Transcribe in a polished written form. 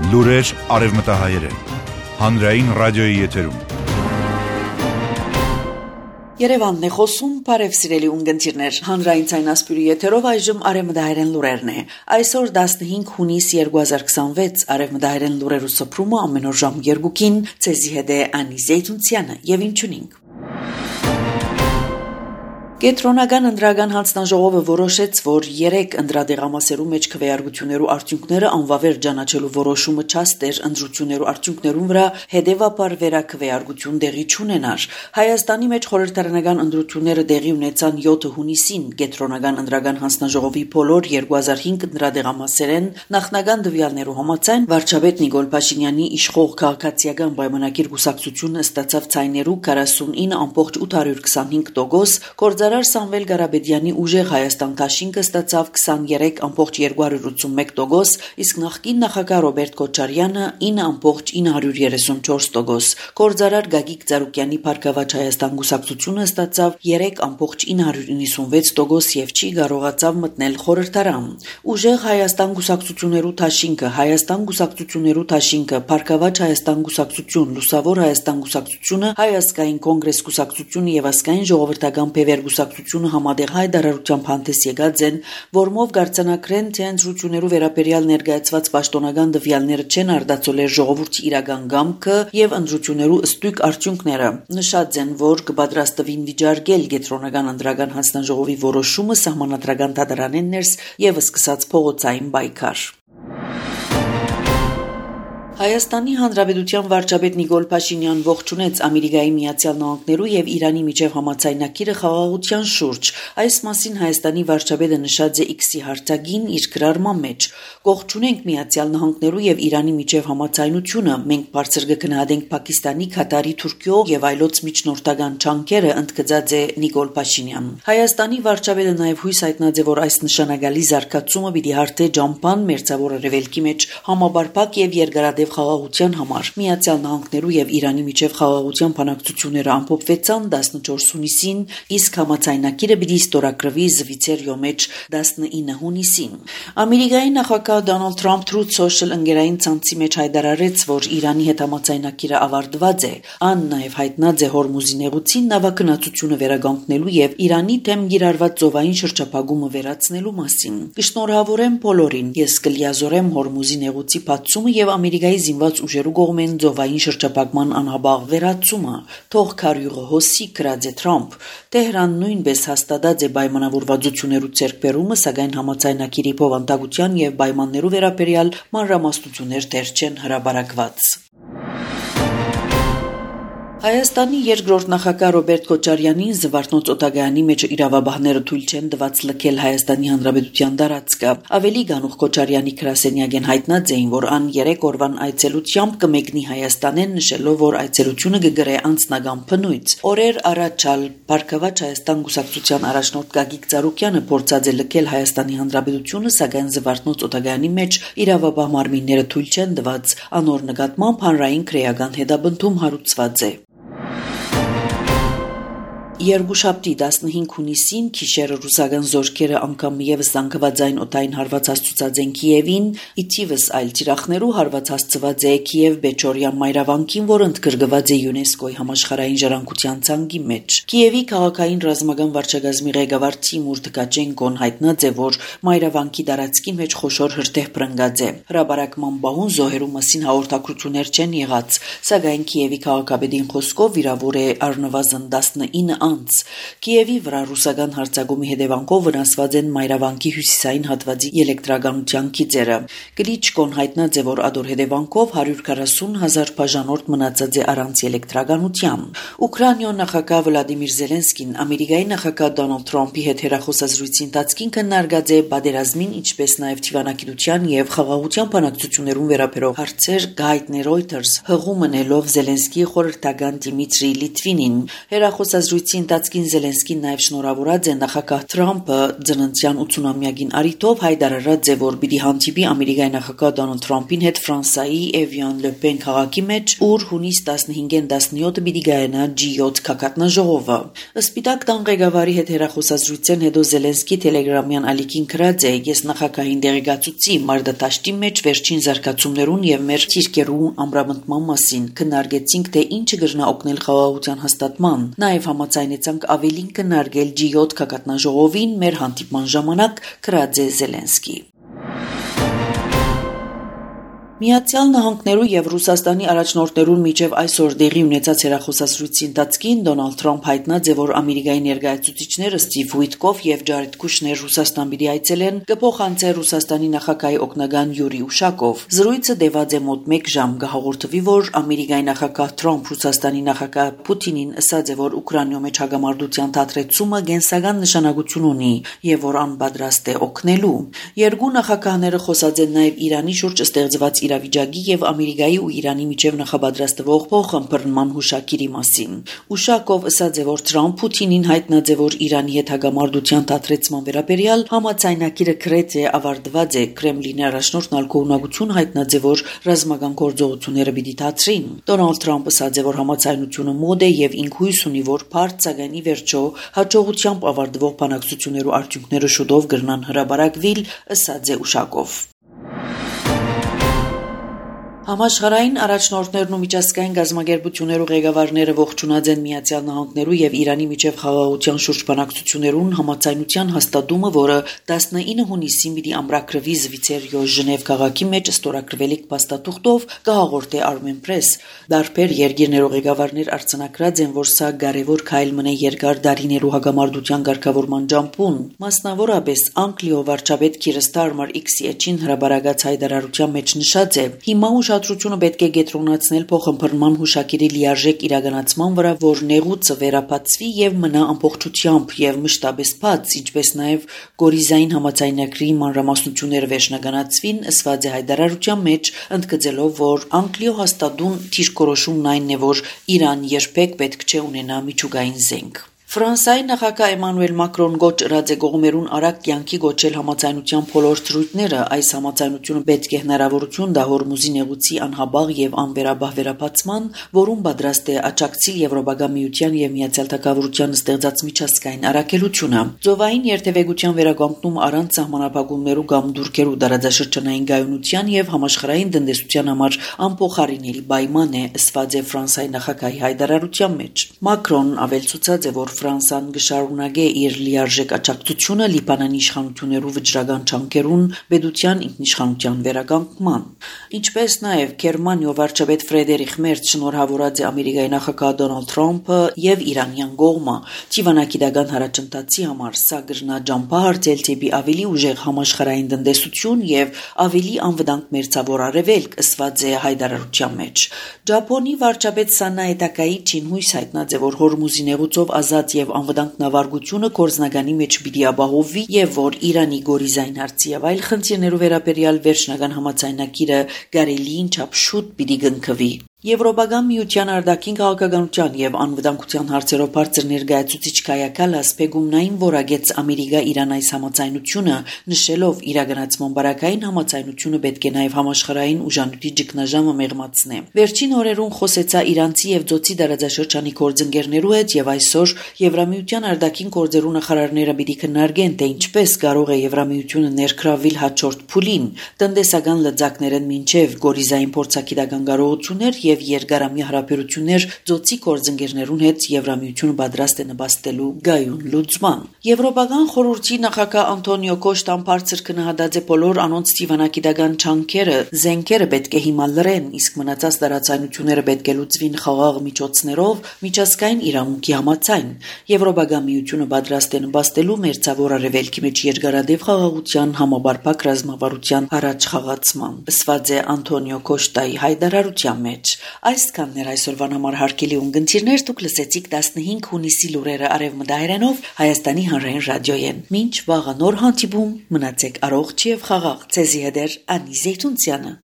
Լուրեր արևմտահայերեն, հանրային ռադիոյի եթերում։ Երևանն է խոսում, բարև սիրելի ունգընտիրներ, հանրային ցայնասպյուրի եթերով այժմ արևմտահայերեն լուրերն է։ Այսօր 15 հունիս 2026 արևմտահայերեն լուրերու սփռումը ամեն օր ժամ 2-ին ցեզի հետ է Անի Զեյթունցյանը եւ ինչունինք։ Կենտրոնական ընտրական հանձնաժողովը որոշեց, որ 3 ընտրադեղամասերու մեջ քվեարկություններու արդյունքները անվավեր ճանաչելու որոշումը չաստեր ընտրություններու արդյունքներուն վրա հետևաբար վերաքվեարկություն տեղի չունենար։ Հայաստանի մեջ խորհրդարանական ընտրությունները տեղի ունեցան 7 հունիսին կենտրոնական ընտրական հանձնաժողովի բոլոր 2005 ընտրադեղամասերեն նախնական դվյալներու համաձայն վարչապետ Նիկոլ Փաշինյանի իշխող քաղաքացիական պայմանագիր կուսակցությունը ստացավ ցայներու 49.825%, Սամվել Ղարաբեդյանի ուժեղ Հայաստան Դաշինքը ստացավ 23.281%, իսկ նախկին նախագահ Ռոբերտ Քոչարյանը 9.934%, Գործարար Գագիկ Ծառուկյանի Փառքավաճ Հայաստան կուսակցությունը ստացավ 3.996% եւ չի կարողացավ մտնել խորհրդարան։ Ուժեղ Հայաստան կուսակցություններու Դաշինքը, Հայաստան կուսակցություններու Դաշինքը, Փառքավաճ Հայաստան կուսակցություն, Լուսավոր Հայաստան կուսակցությունը, Հայ ազգային կոնգրես կուսակցությունը եւ ազգային ժողովրդական բևեր կուսակցությունը համատեղ հայտարարությամբ հանդես եկած են, որմով գարցանակրեն թե ընտրություններու վերաբերյալ ներկայացված պաշտոնական դվյալները չեն արտացոլել ժողովրդի իրական գամքը եւ ընտրություններու ըստույկ արդյունքները։ Նշած են, որ կպատրաստվին վիճարկել կենտրոնական ընտրական հանձնաժողովի որոշումը սահմանադրական դատարանեն ներս եւ սկսած փողոցային պայքար։ Հայաստանի Հանրապետության վարչապետ Նիկոլ Փաշինյան ողջունեց Ամերիկայի Միացյալ Նահանգներու եւ Իրանի միջև համաձայնագիրը խաղաղության շուրջ։ Այս մասին Հայաստանի վարչապետը նշած է X-ի հարթակին իր գրառման մեջ։ Ողջունենք Միացյալ Նահանգներու եւ Իրանի միջև համաձայնությունը։ Մենք բարձր կգնահատենք Պակիստանի, Քաթարի, Թուրքիո եւ այլոց միջնորդական ջանքերը, ընդգծած է Նիկոլ Փաշինյան։ Հայաստանի վարչապետը նաեւ հույս հայտնած է, որ այս նշանակալի զարգացումը պիտի հարթի ջամփան մերձավոր արևելքի մեջ համաբարփակ եւ երկարատև խաղաղության համար։ Միացյալ Նահանգներու եւ Իրանի միջև խաղաղության բանակցությունները ամփոփվեցան 14 հունիսին, իսկ համաձայնագիրը պիտի ստորագրվի Զվիցերիո մեջ 19 հունիսին։ Ամերիկայի նախագահ Դոնալդ Թրամփ Truth Social ընկերային ցանցի մեջ հայտարարեց, որ Իրանի հետ համաձայնագիրը ավարտված է։ Ան նաեւ հայտնած է Հորմուզի նեղուցին նավագնացությունը վերականգնելու եւ Իրանի դեմ գիրառված ծովային շրջափակումը վերացնելու մասին։ Կշնորհավորեմ բոլորին։ Ես կլիազորեմ Հորմուզի նեղուցի բացումը եւ Ամերիկայի զինված ուժերու կողմեն ծովային շրջափակման անհաբաղ վերացումը։ Թող քարյուղը հոսի, գրած է Թրամփ։ Տեհրան նույնպես հաստատած է պայմանավորվածություններու ձեռքբերումը, սակայն համաձայնագիրի բովանդակության եւ պայմաններու վերաբերյալ մանրամասնություններ դեռ չեն հրապարակված։ Հայաստանի երկրորդ նախագահ Ռոբերտ Քոչարյանին Զվարթնոց օտագայանի մեջ իրավաբանները թույլ չեն տված լքել Հայաստանի Հանրապետության տարածքը։ Ավելի գանուխ Քոչարյանի գրասենյակեն հայտնած էին, որ ան 3 օրվան այցելությամբ կմեկնի Հայաստանեն, նշելով, որ այցելությունը կգրե անձնական բնույթ։ Օրեր առաջ Փառքավաճ Հայաստան կուսակցության առաջնորդ Գագիկ Ծառուկյանը փորձած է լքել Հայաստանի Հանրապետությունը, սակայն Զվարթնոց օտագայանի մեջ իրավաբան մարմինները թույլ չեն տված։ Անոր նկատմամբ հանրային քրեական հետապնդում հարուցված է։ Երկուշաբթի 15 հունիսին գիշերը ռուսական զորքերը անգամ եւս զանգվածային օտային հարված հասցուցած են Կիևին, իթիվս այլ թիրախներու հարված հասցված է Կիև-Բեչորիա մայրավանքին, որ ընդգրկված է ՅՈՒՆԵՍԿՕ-ի համաշխարհային ժառանգության ցանկի մեջ։ Կիևի քաղաքային ռազմական վարչակազմի ղեկավար Տիմուր Թկաչենկոն հայտնած է, որ մայրավանքի տարածքի մեջ խոշոր հրդեհ բռնկած է։ Հրաբարակման բահուն զոհերու մասին հաղորդակցություններ չեն եղած, սակայն Կիևի քաղաքապետին խոսքով վիրավոր է առնվազն 19 Կիևի վրա ռուսական հարձակումի հետևանքով վնասված են մայրավանքի հյուսիսային հատվածի էլեկտրականության գիծերը։ Կլիչկոն հայտնած է, որ ադոր հետևանքով 140,000 բաժանորդ մնացած է առանց էլեկտրականության։ Ուկրաինայի նախագահ Վլադիմիր Զելենսկին Ամերիկայի նախագահ Դոնալդ Թրամփի հետ հեռախոսազրույցի ընթացքին քննարկած է պատերազմին, ինչպես նաև թիվանակիտության եւ խաղաղության բանակցություններուն վերաբերող հարցեր, հայտնել Reuters հղում մնելով Զելենսկիի խորհրդական Դիմիտրի Լիտվինին։ Հեռախոսազրույցի ընթացքին Զելենսկին նաև շնորհավորած է նախագահ Թրամփը ծննդյան 80-ամյակին առիթով հայտարարած է, որ պիտի հանդիպի Ամերիկայի նախագահ Դոնալդ Թրամփին հետ Ֆրանսայի Էվիան-Լե-Պեն քաղաքի մեջ, ուր հունիս 15-ին 17-ը պիտի գայանա G7 քակատնաժողովը։ Սպիտակ տան ղեկավարի հետ հեռախոսազրույցեն հետո Զելենսկի Telegram-յան ալիքին գրած է. «Ես նախագահին դեղեկացուցի մարտադաշտի մեջ վերջին զարգացումներուն եւ մեր թիրքերու ամրապնդման մասին, քննարկեցինք թե ինչը կգրնա օգնել խաղաղության հաստատման, նաեւ համաձայնեցանք ավելին քննարկել G7 քակատնաժողովին մեր հանդիպման ժամանակ», գրած է Զելենսկի։ Միացյալ Նահանգներու եւ Ռուսաստանի առաջնորդներուն միջև այսօր դեղի ունեցած հեռախոսազրույցի ընթացքին Դոնալդ Թրամփ հայտնած է, որ Ամերիկայի ներկայացուցիչները Ստիվ Ուիտկոֆ եւ Ջարեդ Կուշներ Ռուսաստան պիտի այցելեն, կփոխանցե Ռուսաստանի նախագահի օգնական Յուրի Ուշակով։ Զրույցը տևած է մոտ 1 ժամ, կհաղորդվի, որ Ամերիկայի նախագահ Թրամփ Ռուսաստանի նախագահ Պուտինին ասաց է, որ Ուկրաինայում մեջ հագամարտության դադարեցումը կենսական նշանակություն ունի եւ որ անպատրաստ է օգնելու։ Երկու նախագահները խոսած են նաեւ Իրանի շուրջ ստեղծված իրավիճակի եւ Ամերիկայի ու Իրանի միջև նախապատրաստվող փոխըմբռնման հուշագիրի մասին։ Ուշակով ասաց է, որ Թրամփ Պուտինին հայտնած է, որ Իրանի հետ հագամարտության դադարեցման վերաբերյալ համաձայնագիրը գրեթե ավարտված է։ Կրեմլինի առաջնորդն ալկողունակություն հայտնած է, որ ռազմական գործողությունները պիտի դադարին։ Դոնալդ Թրամփը ասաց է, որ համաձայնությունը մոտ է եւ ինք հույս ունի, որ բարդ սակայն ի վերջո հաջողությամբ ավարտվող բանակցություններու արդյունքները շուտով կգրնան հրապարակվել, ասաց է Ուշակով։ Համաշխարհային առաջնորդներն ու միջազգային գազམ་ագերբություններու ղեկավարները ողջունած են Միացյալ Նահանգներու եւ Իրանի միջև խաղաղության շուրջ բանակցություններուն համաձայնության հաստատումը, որը 19 հունիսին պիտի ամրագրվի Զվիցերիո Ժնև քաղաքի մեջ ստորագրվելիք փաստաթուղթով, կհաղորդե Armen Press։ Դարբեր երկիրներու ղեկավարներ արձանագրած են, որ սա կարևոր քայլ մնե երկար դարիներու հագամարտության ղեկավարման ջամփուն։ Մասնավորապես Անգլիո վարչապետ Քիր Ստարմեր X-ի էջին հրաբարակած հայտարարության մեջ նշած է. «Հիմա ուշադրությունը պետք է կենտրոնացնել փոխըմբռնման հուշագիրի լիարժեք իրականացման վրա, որ նեղուցը վերապացվի եւ մնա ամբողջությամբ եւ մշտապես բաց, ինչպես նաեւ Գորիզային համաձայնագրի մանրամասնությունները վերջնականացվին», ասված է հայտարարության մեջ, ընդգծելով, որ Անգլիո հաստատուն դիրքորոշումն այն է, որ Իրան երբեք պետք չէ ունենա միջուկային զենք։ Ֆրանսիայի նախագահ Էմանուել Մակրոն գոչրած է կողմերուն արագ կյանքի գոչել համաձայնության բոլոր թրույթները։ Այս համաձայնությունը պետք է հնարավորություն տա Հորմուզի նեղուցի անհաբաղ եւ անվերաբահ վերապացման, որում պատրաստ է աջակցել Եվրոպական միության եւ Միացյալ Թագավորության ստեղծած միջազգային առաքելությունը։ Ծովային երթևեկության վերականգնում առանց սահմանափակումներու կամ դուրքերու դարաձաշրջանային գայունության եւ համաշխարհային տնտեսության համար անփոխարինելի պայման է, ասված է Ֆրանսիայի նախագահի հայտարարության մեջ։ Մակրոն ավելցուցած է, որ Ֆրանսան կշարունակե իր լիարժեք աջակցությունը Լիբանանի իշխանություններու վճռական ջանքերուն պետության ինքնիշխանության վերականգնման։ Ինչպես նաև Գերմանիո վարչապետ Ֆրեդերիխ Մերց շնորհավորած է Ամերիկայի նախագահ Դոնալդ Թրամփը եւ Իրանյան կողմը ճիվանագիտական հարաճընթացի համար, սա կրնա ջամփահարցել դեպի ավելի ուժեղ համաշխարհային տնտեսություն եւ ավելի անվտանգ մերձավոր արևելք, ասված է հայտարարության մեջ։ Ճապոնի վարչապետ Սանայե Տակայիչին հույս հայտնած է, որ Հորմուզի նեղուցով ազատ եւ անվտանգ նավարկությունը կորզնականի մեջ պիտի ապահովվի եւ որ Իրանի Գորիզային հարցի եւ այլ խնդիրներու վերաբերյալ վերջնական համաձայնագիրը կարելիին չափ շուտ պիտի կնքվի։ Եվրոպական միության արտաքին քաղաքականության եւ անվտանգության հարցերով բարձր ներկայացուցիչ Կայա Կալաս Պեգումնային որագեց Ամերիկա-Իրան այս համաձայնությունը, նշելով իրականացման բարակային համաձայնությունը պետք է նաեւ համաշխարհային ուժանուտի ճգնաժամը մեղմացնե։ Վերջին օրերուն խոսեցա իրանցի եւ ձոցի դարաձաշրջանի գործընկերներու հետ եւ այսօր Եվրամիության արտաքին գործերու նախարարները պիտի քննարկեն, թե ինչպես կարող է Եվրամիությունը ներգրավել հաջորդ փուլին, տնտեսական լծակներն մինչեւ Գորիզային փորձագիտական կարողություններ եւ երկարամյա հարաբերություններ ձոցի գործընկերներուն հետ Եվրամիությունը պատրաստ է նպաստելու գայուն լուծման։ Եվրոպական խորհրդի նախագահ Անտոնիո Կոշտան բարձր քննադատած է բոլոր անոնց դիվանագիտական չանքերը, զենքերը պետք է հիմա լրեն, իսկ մնացած տարածայնությունները պետք է լուծվին խաղաղ միջոցներով, միջազգային իրավունքի համաձայն։ Եվրոպական միությունը պատրաստ է նպաստելու մերձավոր արևելքի մեջ երկարատև խաղաղության համապարփակ ռազմավարության առաջ խաղացման, ասված է Անտոնիո Կոշտայի հայտարարության մեջ։ Այսքանն էր այսօրվան համար հարգելի ունկնդիրներ, դուք լսեցիք 15 հունիսի լուրերը Արևմտահայերենով Հայաստանի հանրային ռադիոյեն։ Մինչ վաղը նոր հանդիպում, մնացեք առողջ եւ խաղաղ։ Ցեզի հետ Անի Զեյթունցյանը։